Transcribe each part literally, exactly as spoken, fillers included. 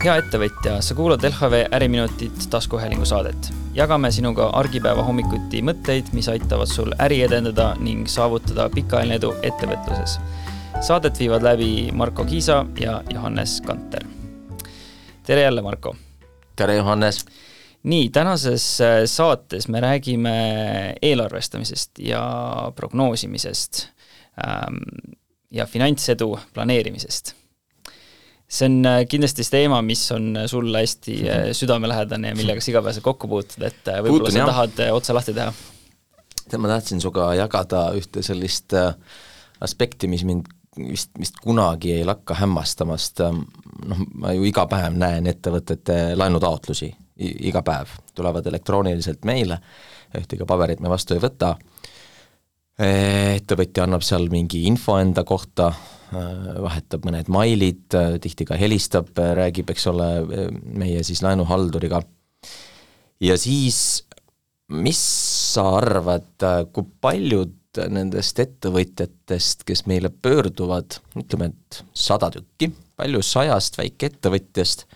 Hea ettevõtja, sa kuulad L H V Äriminutit taskuhäälingu saadet. Jagame sinuga argipäeva hommikuti mõtteid, mis aitavad sul äri edendada ning saavutada pikaajaline edu ettevõtluses. Saadet viivad läbi Marko Kiisa ja Johannes Kanter. Tere jälle, Marko! Tere, Johannes! Nii, tänases saates me räägime eelarvestamisest ja prognoosimisest ja finantsedu planeerimisest. See on kindlasti see teema, mis on sulle hästi südamelähedane ja millega sa igapäevaselt kokku puutud, et võib-olla Puutun, sa jah. tahad otsa lahti teha. Ma tahtsin suga jagada ühte sellist aspekti, mis mind vist, vist kunagi ei lakka hämmastamast. No, ma ju iga päev näen ettevõtete laenutaotlusi, I- iga päev tulevad elektrooniliselt meile, ühtega paberit me vastu ei võta. Ettevõtja annab seal mingi info enda kohta, vahetab mõned mailid, tihti ka helistab, räägib, eks ole, meie siis laenuhalduriga. Ja siis, mis sa arvad, kui paljud nendest ettevõtjatest, kes meile pöörduvad, ütleme, et sada tükki, palju sajast väike ettevõtjast,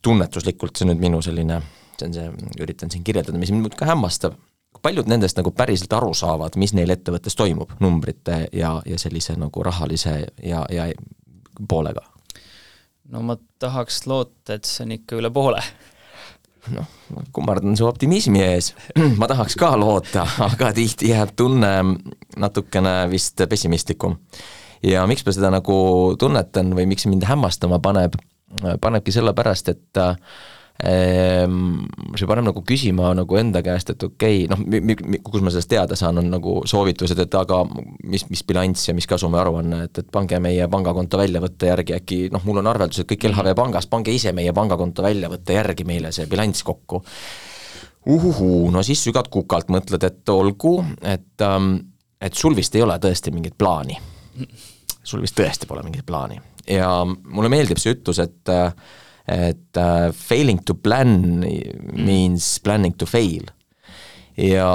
tunnetuslikult see nüüd minu selline, see on see, üritan siin kirjeldada, mis mind ka hämmastab, paljud nendest nagu päriselt aru saavad, mis neil ettevõttes toimub, numbrite ja, ja sellise nagu rahalise ja, ja poolega? No ma tahaks loota, et see on ikka üle poole. Noh, kummardan su optimismi ees. Ma tahaks ka loota, aga tihti jääb tunne natukene vist pessimistlikum. Ja miks ma seda nagu tunnetan või miks mind hämmastama paneb, panebki selle pärast, et see paneb nagu küsima nagu enda käest, et okei, noh, kus ma sellest teada saan, on nagu soovitused, et aga mis, mis bilanss ja mis kasumi aruanne, et, et pange meie pangakonto väljavõtte järgi äkki, noh, mul on arveldused kõik L H V pangas, pange ise meie pangakonto väljavõtte järgi meile see bilanss kokku. Uhuhu, no siis sügad kukalt mõtled, et olgu, et, et sul vist ei ole tõesti mingit plaani. Sul vist tõesti pole mingit plaani. Ja mulle meeldib see ütlus, et et uh, failing to plan means planning to fail. Ja,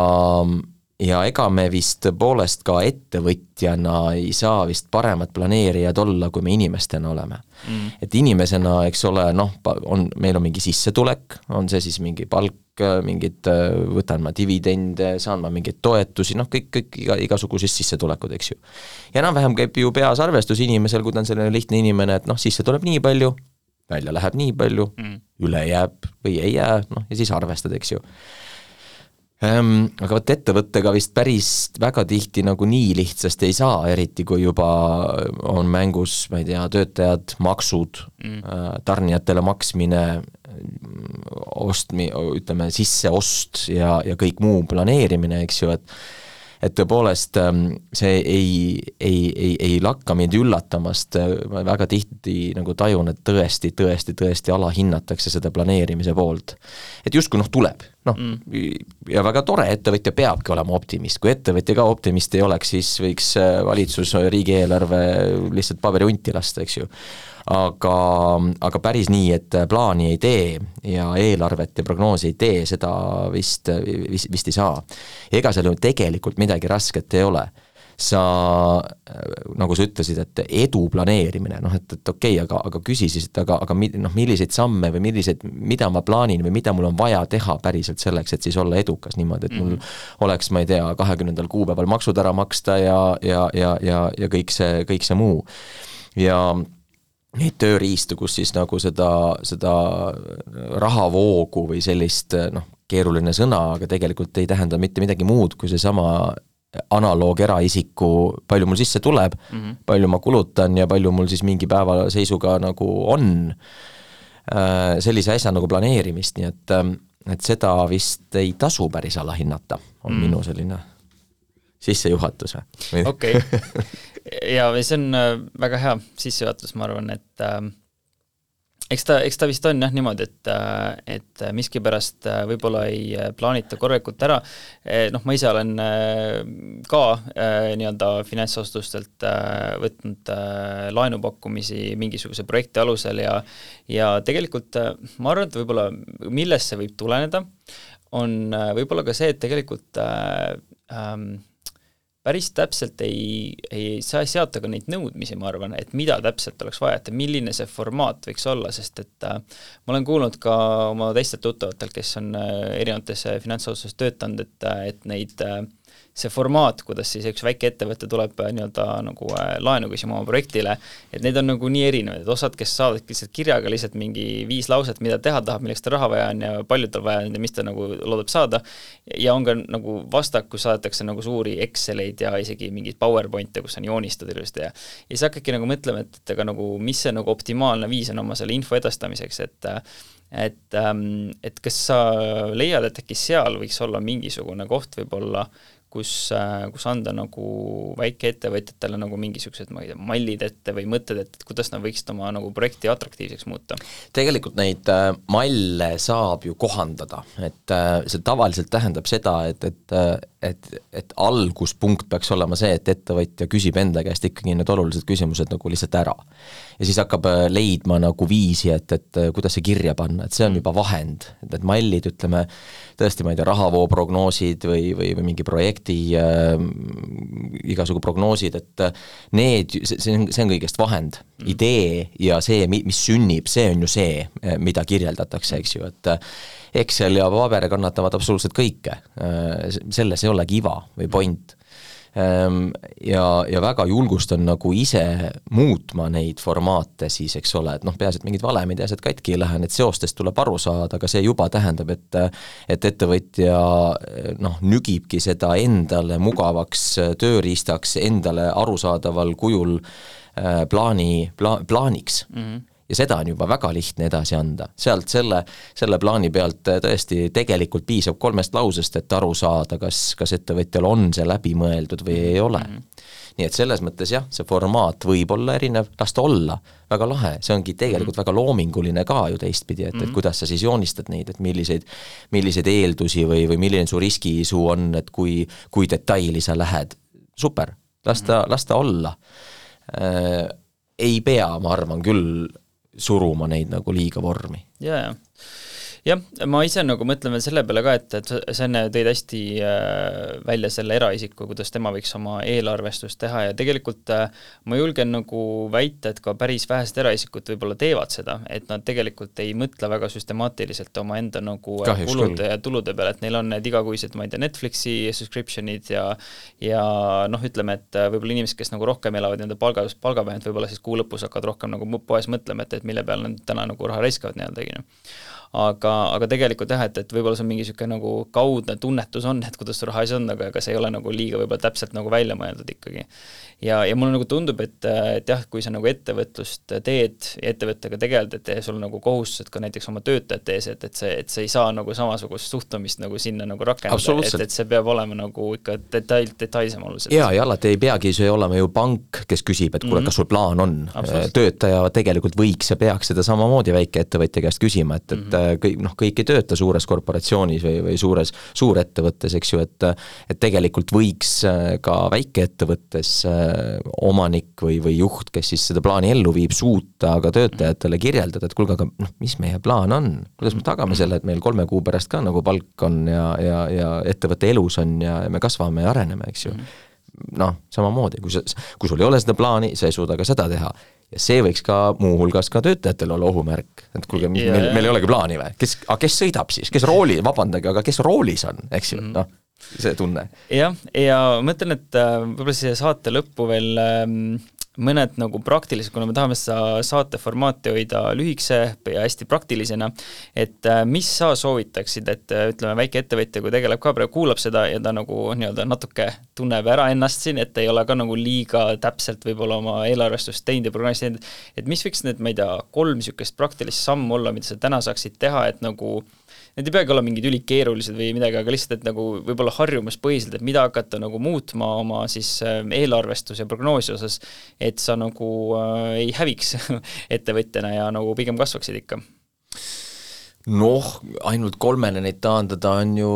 ja ega me vist poolest ka ettevõtjana ei saa vist paremat planeerijad olla, kui me inimestena oleme. Mm. Et inimesena, eks ole, noh, on, meil on mingi sissetulek, on see siis mingi palk, mingid, võtan ma dividende, saan ma mingeid toetusi, noh, kõik, kõik iga, igasugusest sissetulekud, eks ju. Ja enam-vähem käib ju peas arvestus inimesel, kui ta on selline lihtne inimene, et noh, sisse tuleb nii palju, välja läheb nii palju, mm. üle jääb või ei jää, noh, ja siis arvestad, eks ju. Ähm, aga võt ettevõttega vist päris väga tihti nagu nii lihtsasti ei saa, eriti kui juba on mängus, ma ei tea, töötajad, maksud, mm. tarnijatele maksmine, ostmi, ütleme, sisseost ja, ja kõik muu planeerimine, eks ju, et et tõepoolest see ei, ei, ei, ei lakka mind üllatamast, ma väga tihti nagu tajun, et tõesti, tõesti, tõesti alahinnatakse seda planeerimise poolt. Et justkui noh tuleb, noh, mm. ja väga tore, ettevõtja peabki olema optimist, kui ettevõtja ka optimist ei oleks, siis võiks valitsus riigieelarve lihtsalt paberi unti lasta, eks ju. Aga, aga päris nii, et plaani ei tee ja eelarvet ja prognoosi ei tee, seda vist, vist, vist ei saa. Ega seal ju tegelikult midagi rasket ei ole. Sa, nagu sa ütlesid, et edu planeerimine, noh, et, et okei, aga, aga küsi siis, et aga, aga noh, milliseid samme või milliseid, mida ma plaanin või mida mul on vaja teha päriselt selleks, et siis olla edukas niimoodi, et mul mm. oleks, ma ei tea, kahekümnendal kuupäeval maksud ära maksta ja, ja, ja, ja, ja kõik see, kõik see muu. Ja neid tööriistu, kus siis nagu seda, seda rahavoogu või sellist, noh, keeruline sõna, aga tegelikult ei tähenda mitte midagi muud, kui see sama analoog eraisiku, palju mul sisse tuleb, mm-hmm. palju ma kulutan ja palju mul siis mingi päeva seisuga nagu on sellise asja nagu planeerimist, nii et, et seda vist ei tasu päris alahinnata, on mm. minu selline sissejuhatus. Okei. Ja see on väga hea sissejuhatus, ma arvan, et äh, eks, ta, eks ta vist on jah niimoodi, et, et miski pärast võib-olla ei plaanita korrekult ära. Noh, ma ise olen ka äh, nii-öelda finantsostustelt äh, võtnud äh, laenupakkumisi mingisuguse projekti alusel ja, ja tegelikult äh, ma arvan, et võib-olla millest see võib tuleneda, on äh, võib-olla ka see, et tegelikult äh, ähm, päris täpselt ei, ei saa seata ka neid nõudmisi, ma arvan, et mida täpselt oleks vaja, et milline see formaat võiks olla, sest et äh, ma olen kuulnud ka oma teistelt tuttavatelt, kes on äh, erinevates finantsasutuses töötanud, et, et neid äh, see formaat, kuidas siis üks väike ettevõte tuleb nii-öelda nagu laenu küsima oma projektile, et need on nagu nii erinevad, et osad, kes saavad lihtsalt kirjaga lihtsalt mingi viis lauset, mida teha tahab, milleks ta raha vaja on ja palju tal vaja on ja mis ta nagu loodab saada, ja on ka nagu vastak, kus saadetakse nagu suuri Exceleid ja isegi mingeid PowerPointe, kus on joonistud ilusti ja ja siis hakkabki nagu mõtlema, et, et aga nagu, mis see nagu optimaalne viis on oma selle info edastamiseks, et et, et kas sa leiad, et äkki seal võiks olla mingisugune koht võib-olla, kus, kus anda nagu väikeettevõtjatele nagu mingisugused, ma ei tea, mallid ette või mõtted, et kuidas nad võiksid oma nagu projekti atraktiivseks muuta? Tegelikult neid äh, malle saab ju kohandada, et äh, see tavaliselt tähendab seda, et, et, et, et alguspunkt peaks olema see, et ettevõtja küsib enda käest ikkagi need olulised küsimused nagu lihtsalt ära. Ja siis hakkab leidma nagu viisi, et, et kuidas see kirja panna, et see on juba vahend, et need mallid, ütleme, tõesti, ma ei tea, rahavoo prognoosid või, või, või mingi projekti äh, igasugu prognoosid, et need, see on, see on kõigest vahend. Idee ja see, mis sünnib, see on ju see, mida kirjeldatakse, eks ju, et Excel ja paber kannatavad absoluutselt kõike. Selles ei olegi iva või point. Ja, ja väga julgustan nagu ise muutma neid formaate siis, eks ole, et noh, peaasi, et mingid valemid ja asjad katki ei lähe, et seostest tuleb aru saada, aga see juba tähendab, et et ettevõtja noh, nügibki seda endale mugavaks tööriistaks, endale arusaadaval kujul plaani, pla, plaaniks. Mm-hmm. Ja seda on juba väga lihtne edasi anda. Sealt selle, selle plaani pealt tõesti tegelikult piisab kolmest lausest, et aru saada, kas, kas ettevõtjal on see läbi mõeldud või ei ole. Mm-hmm. Nii et selles mõttes jah, see formaat võib olla erinev, las ta olla, väga lahe, see ongi tegelikult mm-hmm. väga loominguline ka ju teistpidi, et, mm-hmm. et kuidas sa siis joonistad neid, et milliseid, milliseid eeldusi või, või milline su riskiisu on, et kui, kui detaili sa lähed. Super, las ta, mm-hmm. las ta olla. Äh, ei pea, ma arvan küll, suruma neid nagu liiga vormi. Ja, ja. Jah, ma ise nagu mõtlen veel selle peale ka, et, et see enne tõid hästi välja selle eraisiku, kuidas tema võiks oma eelarvestust teha ja tegelikult ma julgen nagu väita, et ka päris vähest eraisikud võib-olla teevad seda, et nad tegelikult ei mõtle väga süstemaatiliselt oma enda nagu Kahjuks kulude küll. Ja tulude peale, et neil on need igakuised, ma ei tea, Netflixi subscriptionid ja, ja noh, ütleme, et võib-olla inimesed, kes nagu rohkem elavad nende palga, palgapäevend, võib-olla siis kuu lõpus hakkavad rohkem nagu poes mõtlema, et, et mille peale nad täna nagu raha raiskavad nii-öelda. Aga, aga tegelikult jah, et, et võib-olla see on mingi siuke nagu kaudne tunnetus on, et kuidas raha asi on, aga, aga see ei ole nagu liiga võib-olla täpselt nagu välja mõeldud ikkagi. Ja, ja mulle nagu tundub, et, et jah, kui sa nagu ettevõtlust teed ja ettevõttega tegeled, et sul on nagu kohustused ka näiteks oma töötajate ees, et, et see, et see ei saa nagu samasugust suhtumist nagu sinna nagu rakendada, et, et see peab olema nagu ikka detail, detailsem oluliselt. Ja, ja alati ei peagi see olema ju pank, kes küsib, et kuule, kas sul plaan on. Töötaja tegelikult võiks ja peaks seda samamoodi väike ettevõtja käest küsima, et, et kõik, noh, kõik ei tööta suures korporatsioonis või, või suures, suurettevõttes, eks ju, et, et tegelikult võiks ka väikeettevõttes omanik või, või juht, kes siis seda plaani ellu viib, suuta aga töötajatele kirjeldada, et kuulge, aga noh, mis meie plaan on? Kuidas me tagame selle, et meil kolme kuu pärast ka nagu palk on ja, ja, ja ettevõtte elus on ja me kasvame ja areneme, eks ju. Noh, samamoodi, kui, sa, kui sul ei ole seda plaani, sa ei suuda ka seda teha. Ja see võiks ka muuhulgas ka töötajatel olla ohumärk, et kuulge, meil, yeah. meil ei olegi plaani või? Kes, a, kes sõidab siis? Kes rooli, vabandage, aga kes roolis on, eks ju, noh, see tunne. Jah, ja mõtlen, et võib-olla see saate lõppu veel mõned nagu praktilised, kuna me tahame seda saate formaati hoida lühikse ja hästi praktilisena, et mis sa soovitaksid, et ütleme, väike ettevõtja, kui tegeleb ka praegu, kuulab seda ja ta nagu nii-öelda natuke tunneb ära ennast siin, et ei ole ka nagu liiga täpselt võib-olla oma eelarvestust teinud ja programmis teinud, et mis võiks need, ma ei tea, kolm niisugust praktilist sammu olla, mida sa täna saaksid teha, et nagu need ei peagi olla mingid ülikeerulised või midagi, aga lihtsalt, et nagu võib-olla harjumuspõhiselt, et mida hakata nagu muutma oma siis eelarvestus ja prognoosi osas, et sa nagu äh, ei häviks ettevõtjana ja nagu pigem kasvaksid ikka? Noh, ainult kolmene neid taandada on ju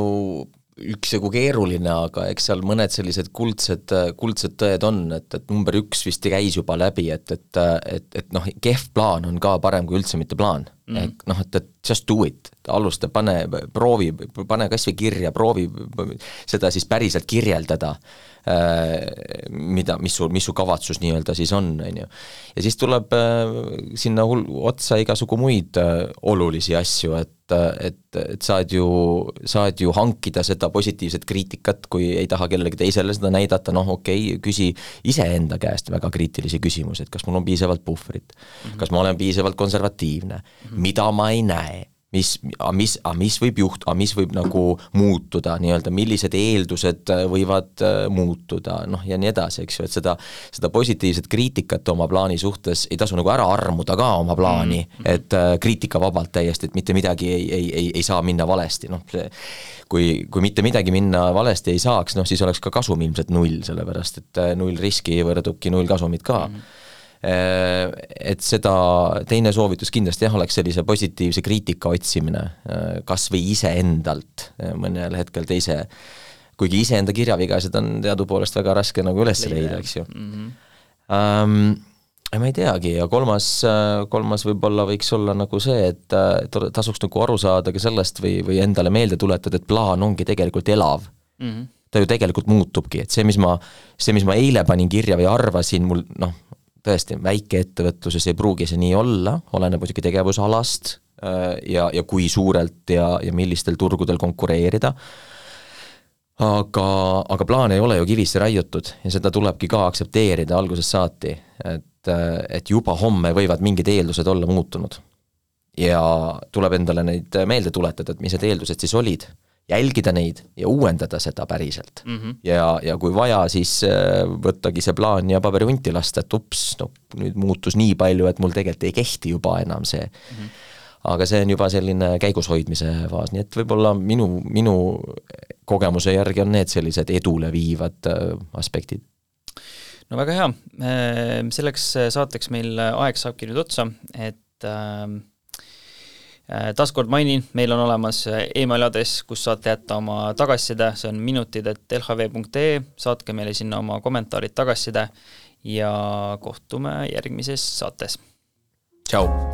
üksjagu keeruline, aga eks seal mõned sellised kuldsed, kuldsed tõed on, et, et number üks vist käis juba läbi, et, et, et, et noh, kehv plaan on ka parem kui üldse mitte plaan. mm. ehk noh, et, et just do it, alusta, pane, proovi, pane kas või kirja, proovi seda siis päriselt kirjeldada, mida, mis su, mis su kavatsus nii-öelda siis on, on ju. Ja siis tuleb sinna hull, otsa igasugu muid olulisi asju, et, et, et saad ju, saad ju hankida seda positiivset kriitikat, kui ei taha kellelegi teisele seda näidata, noh okei, okay, küsi iseenda käest väga kriitilisi küsimusi, et kas mul on piisavalt puhvrit, mm-hmm. kas ma olen piisavalt konservatiivne, mm-hmm. mida ma ei näe, mis, mis, mis võib juht, mis võib nagu muutuda, nii-öelda, millised eeldused võivad muutuda, noh ja nii edasi, eks ju, et seda, seda positiivset kriitikat oma plaani suhtes ei tasu nagu ära armuda ka oma plaani, mm-hmm. et kriitika vabalt täiesti, et mitte midagi ei, ei, ei, ei saa minna valesti, noh see, kui, kui mitte midagi minna valesti ei saaks, noh siis oleks ka kasum ilmselt null, sellepärast et null riski võrdubki null kasumit ka. Mm-hmm. Et seda teine soovitus kindlasti jah, oleks sellise positiivse kriitika otsimine, kas või ise endalt mõnel hetkel teise, kuigi ise enda kirjavigased on teadupoolest väga raske nagu üles leida, eks ju. Mm-hmm. Um, ma ei teagi ja kolmas, kolmas võib-olla võiks olla nagu see, et tasuks nagu aru saada ka sellest või, või endale meelde tuletada, et plaan ongi tegelikult elav. Mm-hmm. Ta ju tegelikult muutubki, et see, mis ma, see, mis ma eile panin kirja või arvasin, mul noh, tõesti, väikeettevõtluses ei pruugi see nii olla, oleneb muidugi tegevusalast ja, ja kui suurelt ja, ja millistel turgudel konkureerida, aga, aga plaan ei ole ju kivisse raiutud ja seda tulebki ka aktsepteerida algusest saati, et, et juba homme võivad mingid eeldused olla muutunud ja tuleb endale neid meelde tuletada, et mis need eeldused siis olid, jälgida neid ja uuendada seda päriselt. Mm-hmm. Ja, ja kui vaja, siis võttagi see plaan ja paberihunti lasta, et ups, no nüüd muutus nii palju, et mul tegelikult ei kehti juba enam see. Mm-hmm. Aga see on juba selline käigushoidmise faas, nii et võib-olla minu, minu kogemuse järgi on need sellised edule viivad aspektid. No väga hea. Selleks saateks meil aeg saabki nüüd otsa, et taaskord mainin, meil on olemas email aadress, kus saate jätta oma tagasiside, see on minutid et l h v punkt e e, saatke meile sinna oma kommentaarid tagasiside ja kohtume järgmises saates. Tšau!